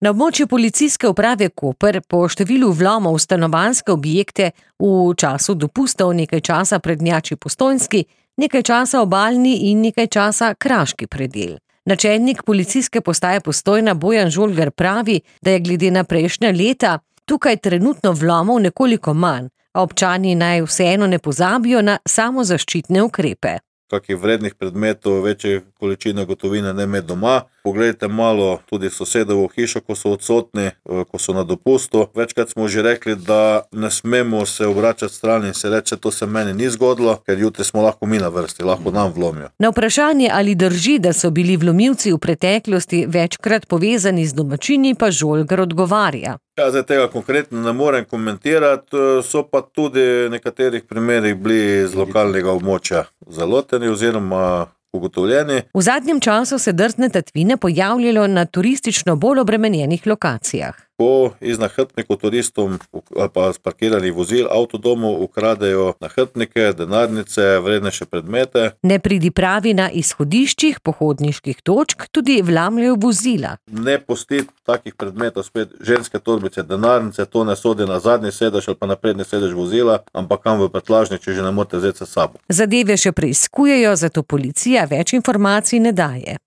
Na območju policijske uprave Koper po številu vlomov v stanovanjske objekte v času dopustov nekaj časa prednjači Postojnski, nekaj časa Obalni in nekaj časa Kraški predel. Načelnik policijske postaje Postojna Bojan Žolgar pravi, da je glede na prejšnja leta tukaj trenutno vlomov nekoliko manj, a občani naj vseeno ne pozabijo na samozaščitne ukrepe. Kakih vrednih predmetov, večje količine gotovine ne imeti doma. Poglejte malo tudi sosedovo hišo, ko so odsotni, ko so na dopustu. Večkrat smo že rekli, da ne smemo se obračati stran in se reči, to se meni ni zgodilo, ker jutri smo lahko mi na vrsti, lahko nam vlomijo. Na vprašanje, ali drži, da so bili vlomilci v preteklosti večkrat povezani z domačini, pa Žolgar odgovarja. Ja, zdaj tega konkretno ne morem komentirati, so pa tudi v nekaterih primerih bili z lokalnega območja zaloteni oziroma ugotovljeni. V zadnjem času se drzne tatvine pojavljajo na turistično bolj obremenjenih lokacijah. Ko iz nahrbtnikov turistom ali pa sparkiranih vozil, avtodomov ukradejo nahrbtnike, denarnice, vrednejše predmete. Nepridipravi na izhodiščih pohodniških točk tudi vlamljajo vozila. Ne pustiti takih predmetov, spet ženske torbice, denarnice, to ne sodi na zadnji sedež ali pa na prednji sedež vozila, ampak kam v prtljažnik, če že ne morete vzeti s sabo. Zadeve še preiskujejo, zato policija več informacij ne daje.